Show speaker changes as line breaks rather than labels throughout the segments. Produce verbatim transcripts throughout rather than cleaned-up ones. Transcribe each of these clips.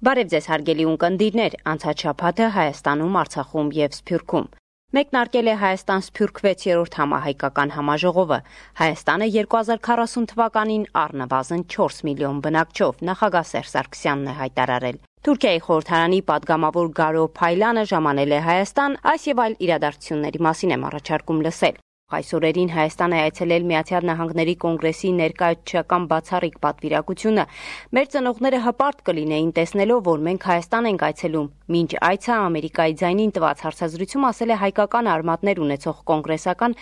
Բարև ձեզ հարգելի ունկնդիրներ, անցած շաբաթը Հայաստանում, Արցախում և Սփյուռքում։ Մեկնարկել է Հայաստան-Սփյուռք վեցերորդ համահայկական համաժողովը։ Հայաստանը երկու հազար քառասուն թվականին առնվազն չորս միլիոն բնակչով, նախագահ Սերժ Սարգսյանն է հայտարարել։ Թուրքիայի խորհրդարանի պատգամավոր Գարո Փայլանը ժամանել է Հայաստան, այս եւ այլ իրադարձությունների մասին եմ առաջարկում լսել։ Այս օրերին Հայաստան է այցելել Միացյալ Նահանգների կոնգրեսի ներկայացուցչական բացառիկ պատվիրակությունը։ Մեր ծնողները հպարտ կլինեին տեսնելով, որ մենք Հայաստան ենք այցելում։ Մինչ այցը Ամերիկայի ձայնին տված հարցազրույցում ասել է հայկական արմատներ ունեցող կոնգրեսական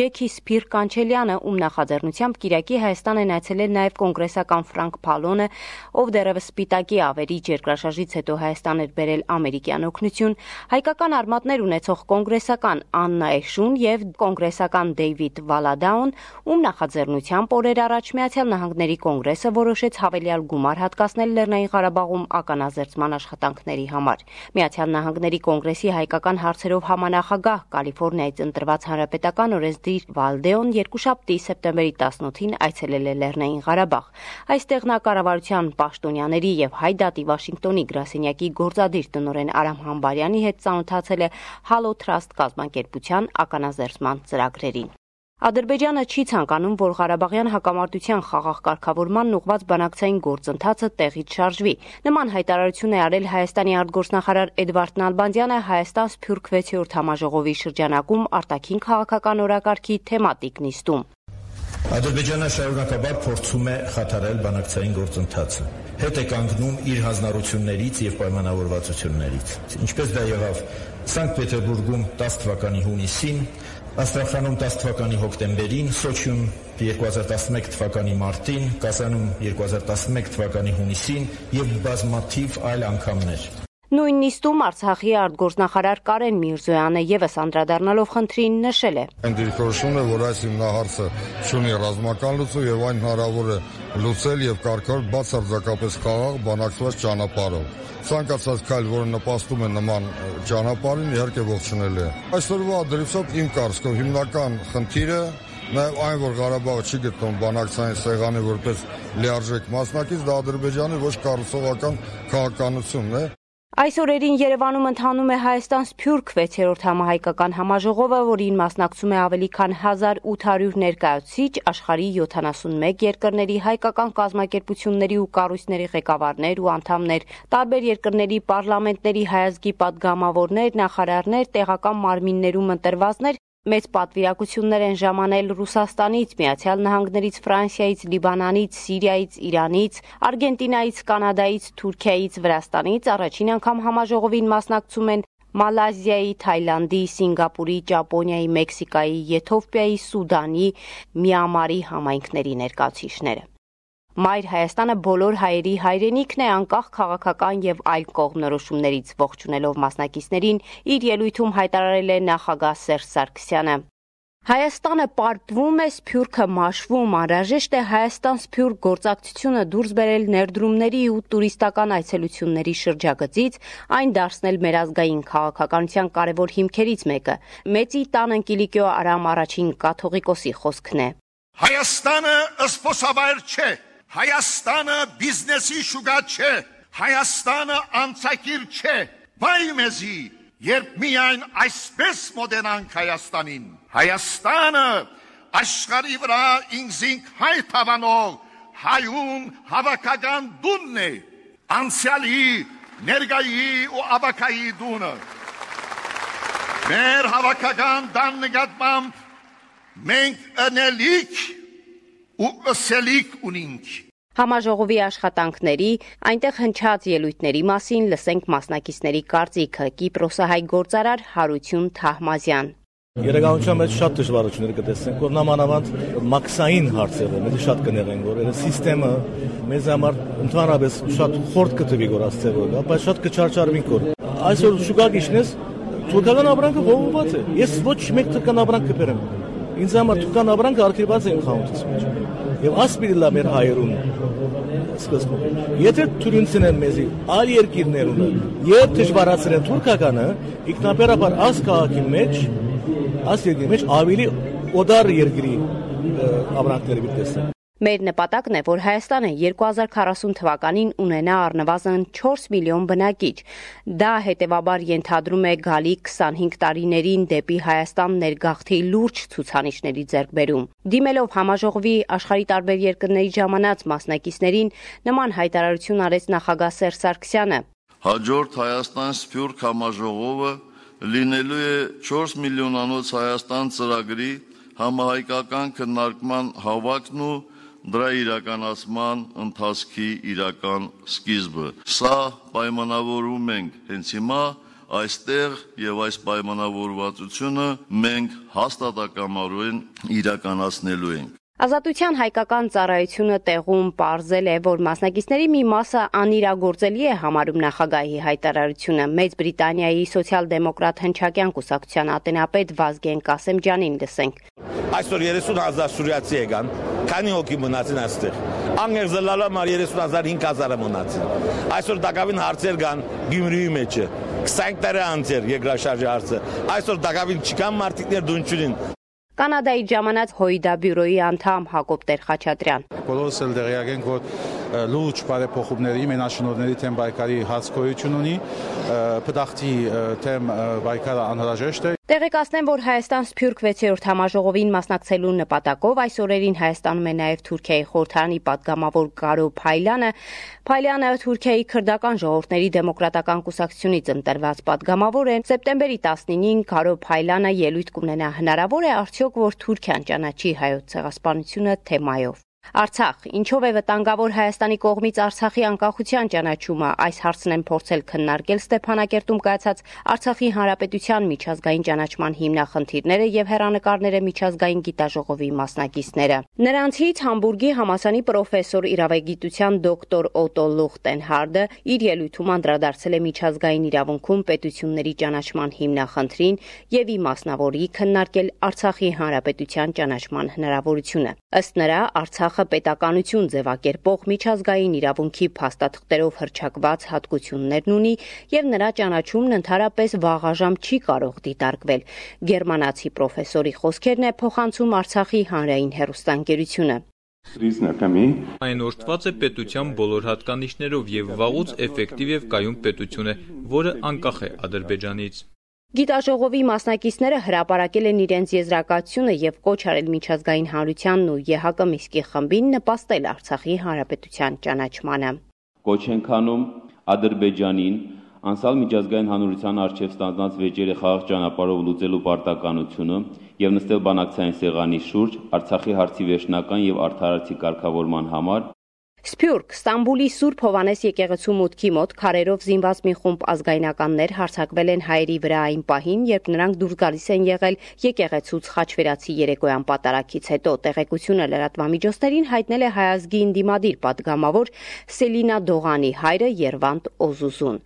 Ջեքի Սփիր Կանչելյանը, ում նախաձեռնությամբ Կիրակի Հայաստան են այցելել նաև կոնգրեսական Ֆրանկ Փալոնը, ով դեռևս Սպիտակի ավերիչ երկրաշարժից հետո Հայաստան էր բերել ամերիկյան օգնություն, հայկական արմատներ ունեցող կոնգրեսական Աննա Էշուն եւ կոնգրեսական Դեյվիդ Վալադաուն, ում նախաձեռնությամբ օրեր առաջ Միացյալ Նահանգների կոնգրեսը որոշեց հավելյալ գումար հատկացնել Լեռնային Ղարաբաղում ականազերծման աշխատանքների համար։ Միացյալ Նահանգների կոնգրեսի հայկական հարցերով համանախագահ Կալիֆոռնիայից ընտրված հանրապետական օրենսդիր Վալդեոն երկուշաբթի սեպտեմբերի տասնութին այցելել է Լեռնային Ղարաբաղ։ Այստեղ նա կառավարության պաշտոնյաների եւ Հայ դատի Վաշինգտոնի գրասենյակի գործադիր տնօրեն Արամ Համբարյանի հետ ծանոթացել է Halo Trust կազմակերպության ականազերծման ծրագրերին։ Ադրբեջանը չի ցանկանում, որ Ղարաբաղյան հակամարտության խաղաղ կարգավորմանն ուղղված բանակցային գործընթացը տեղից շարժվի։ Նման հայտարարություն է արել Հայաստանի արտգործնախարար Էդվարդ Նալբանդյանը Հայաստան-Սփյուռք վեցերորդ համաժողովի շրջանակում արտաքին քաղաքական օրակարգի թեմատիկ նիստում։
Ադրբեջանը շարունակաբար փորձում է խաթարել բանակցային գործընթացը, հետ է կանգնում իր հանձնառություններից եւ պայմանավորվածություններից։ Ինչպես դա եղավ Սանկտ Պետերբուրգում տասը թվականի հունիսին, Աստրախանում տասը թվականի հոկտեմբերին, Սոչիում երկու հազար տասնմեկ թվականի մարտին, Կազանում երկու հազար տասնմեկ թվականի հունիսին եւ բազմաթիվ այլ անգամներ։
Նույն նիստում Արցախի արտգործնախարար Կարեն Միրզոյանը եւս անդրադառնալով խնդրին նշել է.
Այն դիրքորոշումն է, որ այս հիմնահարցը ունի ռազմական լուծում եւ այն հնարավոր է լուծել եւ կարգավորել բացարձակապես խաղաղ բանակցված ճանապարհով։ Ցանկացած քայլ, որը նպաստում է նման ճանապարհին, իհարկե ողջունելի է։ Այսօրվա դրությամբ իմ կարծիքով հիմնական խնդիրը նաև այն, որ Ղարաբաղը չի գտնում բանակցային սեղանի որպես լիարժեք մասնակից, դա Ադրբեջանի ոչ կառուցողական քաղաքականությունն է։
Այս օրերին Երևանում ընթանում է Հայաստան-Սփյուռք վեցերորդ համահայկական համաժողովը, որին մասնակցում է ավելի քան հազար ութ հարյուր ներկայացուցիչ, աշխարհի յոթանասունմեկ երկրների հայկական կազմակերպությունների ու կառույցների ղեկավարներ ու անդամներ, տարբեր երկրների պարլամենտների հայազգի պատգամավորներ, նախարարներ, տեղական մարմիններում ընտրվածներ, մեծ պատվիրակություններ են ժամանել Ռուսաստանից, Միացյալ Նահանգներից, Ֆրանսիայից, Լիբանանից, Սիրիայից, Իրանից, Արգենտինայից, Կանադայից, Թուրքիայից, Վրաստանից, առաջին անգամ համաժողովին մասնակցում են Մալազիայի, Թայլանդի, Սինգապուրի, Ճապոնիայի, Մեքսիկայի, Եթովպիայի, Սուդանի, Միամարի համայնքների ներկայացուցիչները։ Մայր Հայաստանը բոլոր հայերի հայրենիքն է, անկախ քաղաքական եւ այլ կողմնորոշումներից, ողջունելով մասնակիցներին, իր ելույթում հայտարարել է նախագահ Սերժ Սարգսյանը։ Հայաստանը պարտվում է, Սփյուռքը մաշվում, անհրաժեշտ է Հայաստան-Սփյուռք գործակցությունը դուրս բերել ներդրումների ու տուրիստական այցելությունների շրջագծից, այն դարձնել մեր ազգային քաղաքականության կարևոր հիմքերից մեկը։ Մեծի տան Կիլիկիո Արամ առաջին կաթողիկոսի խոսքն է։
Հայաստանը ըսպոսավայր չէ, Հայաստանը բիզնեսի շուկա չէ, Հայաստանը անցակիր չէ, բայ մեզի, երբ միայն այսպես մոդենանք Հայաստանին։ Հայաստանը աշխարհի վրա ինքզինք հայ թավանող հայուն հավաքական դունն է, անցյալի, ներկայի ու ավակայի դունը։ Մեր հավաքական դան նկատմամբ մենք ընելիք ու ըսելիք ունինք։
Համաժողովի աշխատանքների, այնտեղ հնչած ելույթների մասին լսենք մասնակիցների կարծիքը։ Կիպրոսահայ գործարար Հարություն Թահմազյան։
Իրականության մեջ շատ դժվարություններ կտեսնենք, որ նամանավանդ մաքսային հարցերը մեզ շատ կներեն, որ այդ համակարգը մեզ համար ընդհանրապես շատ խորտ կտվի որ ասցեվով, բայց շատ կչարչարվենք որ այսօր շուկա գիշնես թուրքական ապրանքը ողողված է։ Ես ոչ մեկ թուրքական ապրանք կբերեմ։ Ինձ համար թուրքական ապրանքը արգելված է իմ խանութից մեջ։ Եվ ասպիրիլա մեր հայերուն սկզբում։ Եթե թուրքինցն են մեզի այլ երկիրներունը եւ դժվարացրեն թուրքականը, ինքնաբերաբար աս քաղաքի մեջ, աս երկրի մեջ ավելի օդար երկրի ապրանքները դիտես։
Մեր նպատակն է, որ Հայաստանը երկու հազար քառասուն թվականին ունենա առնվազն չորս միլիոն բնակիչ։ Դա հետևաբար ենթադրում է գալիք քսանհինգ տարիներին դեպի Հայաստան ներգաղթի լուրջ ցուցանիշների ձեռքբերում։ Դիմելով համաժողովի աշխարհի տարբեր երկրների ժամանած մասնակիցներին, նման հայտարարություն արեց նախագահ Սերժ Սարգսյանը։
Հաջորդ Հայաստան-Սփյուռք համաժողովը լինելու է չորս միլիոնանոց Հայաստան ծրագրի համահայկական քննարկման հավաքն ու դրա իրականացման ընթացքի իրական սկիզբը։ Սա պայմանավորում ենք հենց հիմա այստեղ եւ այս պայմանավորվածությունը մենք հաստատակամորեն իրականացնելու ենք։
Ազատության հայկական ծառայությունը տեղում պարզել է, որ մասնակիցների մի մասը անիրագործելի է համարում նախագահի հայտարարությունը։ Մեծ Բրիտանիայի սոցիալ-դեմոկրատ հնչակյան կուսակցության ատենապետ Վազգեն Կասեմջյանին լսենք։
Այսօր երեսուն հազար սուրիացի եկան, քանի հոգի մնացին այստեղ։ Անգերզելալա մար երեսուն հազար հինգ հազարը մնացին։ Այսօր դակավին հարցեր կան Գյումրիի մեջը։ քսանհինգ տարի անց էր երկրաշարժի հարցը։ Այսօր դակավին չկան մարտիկներ դունչունին։
Կանադայի ժամանած Հոյդա բյուրոյի անդամ Հակոբ Տեր-Խաչատրյան։
Բոլորս էլ դեղյակ ենք, որ լուրջ բարեփոխումների մենաշնորհների թեմ բայկարի հացկոյություն ունի, փդախտի թեմ բայկարը անհրաժեշտ է։
Տեղեկացնեմ, որ Հայաստան-Սփյուռք վեցերորդ համաժողովին մասնակցելու նպատակով այս օրերին Հայաստանում է նաև Թուրքիայի խորհրդարանի պատգամավոր Կարո Փայլյանը։ Փայլյանը Թուրքիայի քրդական ժողովուրդների դեմոկրատական կուսակցությունից ընտրված պատգամավոր է։ Սեպտեմբերի տասնինին Կարո Փայլյանը ելույթ կունենա։ Հնարավոր է արդյոք, որ Թուրքիան ճանաչի հայոց ցեղասպանությունը թեմայով։ Արցախ, ինչով է վտանգավոր Հայաստանի կողմից Արցախի անկախության ճանաչումը, այս հարցն են փորձել քննարկել Ստեփանակերտում կայացած Արցախի Հանրապետության միջազգային ճանաչման հիմնախնդիրները եւ հեռանկարները միջազգային գիտաժողովի մասնակիցները։ Նրանցից Համբուրգի համալսարանի պրոֆեսոր իրավագիտության դոկտոր Օտո Լուխտենհարդը իր ելույթում անդրադարձել է միջազգային իրավունքում պետությունների ճանաչման հիմնախնդրին եւ իմասնավորի քննարկել Արցախի Հանրապետության ճանաչման հնարավորությունը։ Ըստ նրա, Արցախը պետականություն ձևակերպող միջազգային իրավունքի փաստաթղթերով հռչակված հատկություններն ունի եւ նրա ճանաչումն ընդհանրապես վաղաժամ չի կարող դիտարկվել։ Գերմանացի պրոֆեսորի խոսքերն է փոխանցում Արցախի հանրային հեռուստաընկերությունը։
Այն օրդված է պետության բոլոր հատկանիշներով եւ վաղուց էֆեկտիվ եւ կայուն պետություն է, որը անկախ է Ադրբեջանից։
Գիտաժողովի մասնակիցները հրապարակել են իրենց եզրակացությունը եւ կոչ արել միջազգային հանրությանն ու ԵՀԿ Միսկի խմբին նպաստել Արցախի Հանրապետության ճանաչմանը։
Կոչ ենք անում Ադրբեջանին անցալ միջազգային հանրության առջև ստանձնած վեճերը խաղաղ ճանապարհով լուծելու պարտականությունը եւ նստել բանակցային սեղանի շուրջ Արցախի հարցի վերջնական եւ արդարացի կարգավորման համար։
Սփյուռք, Ստամբուլի Սուրբ Հովանես եկեղեցու մուտքի մոտ քարերով զինված մի խումբ ազգայնականներ հարձակվել են հայերի վրա այն պահին, երբ նրանք դուրս գալիս են եղել եկեղեցուց Խաչվերացի երեկոյան պատարագից հետո։ Տեղեկությունը լրատվամիջոցներին հայտնել է հայ ազգի ընդդիմադիր պատգամավոր Սելինա Դողանի հայրը Երվանդ Օզուզուն։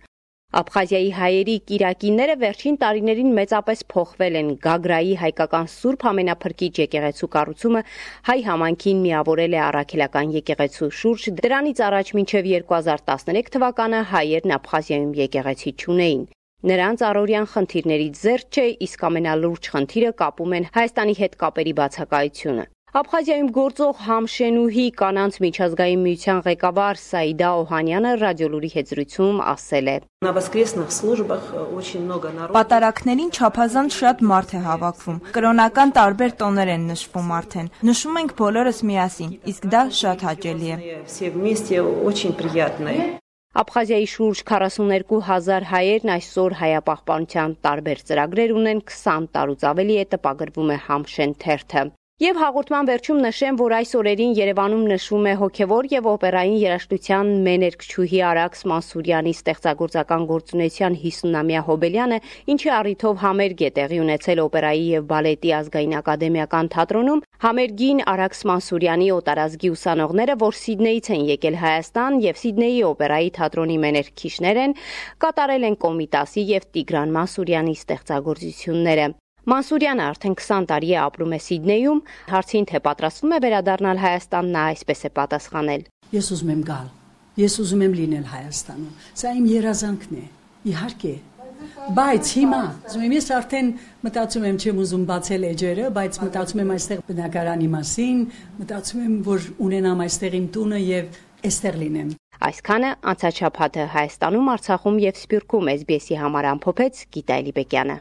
Աբխազիայի հայերի կիրակիները վերջին տարիներին մեծապես փոխվել են։ Գագրայի հայկական Սուրբ Ամենափրկիչ եկեղեցու կառուցումը հայ համայնքին միավորել է առաքելական եկեղեցու շուրջ։ Դրանից առաջ մինչև երկու հազար տասներեք թվականը հայերն Աբխազիայում եկեղեցի չունեին։ Նրանց առօրյան խնդիրներից զերծ չէ, իսկ ամենալուրջ խնդիրը կապում են Հայաստանի հետ կապերի բացակայությունը։ Աբխազիայում գործող Համշենուհի կանանց միջազգային միության ղեկավար Սաիդա Օհանյանը ռադիոլուրի հետ զրույցում ասել է.
Պատարակներին չափազանց շատ մարդ է հավաքվում։ Կրոնական տարբեր տոներ են նշվում արդեն։ Նշում ենք բոլորս միասին, իսկ դա շատ հաճելի է։
Աբխազիայի շուրջ քառասուններկու հազար հայերն այսօր հայապահպանության տարբեր ծրագրեր ունեն, քսան տարուց ավելի է տպագրվում է Համշեն թերթը։ Եվ հաղորդման վերջում նշեմ, որ այս օրերին Երևանում նշվում է հոգևոր եւ օպերային երաժշտության մեներկչուհի Արաքս Մանսուրյանի ստեղծագործական գործունեության հիսունամյա հոբելյանը, ինչի առիթով համերգ է տեղի ունեցել օպերայի եւ բալետի ազգային ակադեմիական թատրոնում։ Համերգին Արաքս Մանսուրյանի օտարազգի ուսանողները, որ Սիդնեից են եկել Հայաստան եւ Սիդնեի օպերայի թատրոնի մեներկչիչներ են, կատարել են Կոմիտասի եւ Տիգրան Մանսուրյանի ստեղծագործությունները։ Մանսուրյանը արդեն քսան տարի է ապրում է Սիդնեյում, հարցին թե պատրաստվում է վերադառնալ Հայաստան, նա այսպես է պատասխանել.
Ես ուզում եմ գալ, ես ուզում եմ լինել Հայաստանում, սա իմ երազանքն է, իհարկե, Բայց հիմա ես արդեն մտածում եմ չեմ ուզում բացել էջերը, բայց մտածում եմ այստեղ բնակարանի մասին, մտածում եմ, որ ունենամ այստեղ իմ տունը եւ այստեղ լինեմ։
Այսքանը անցաչափ հատը Հայաստանում, Արցախում եւ Սփյուռքում էս բի էսի համար ամփոփեց Գիտա Էլիբեկյանը։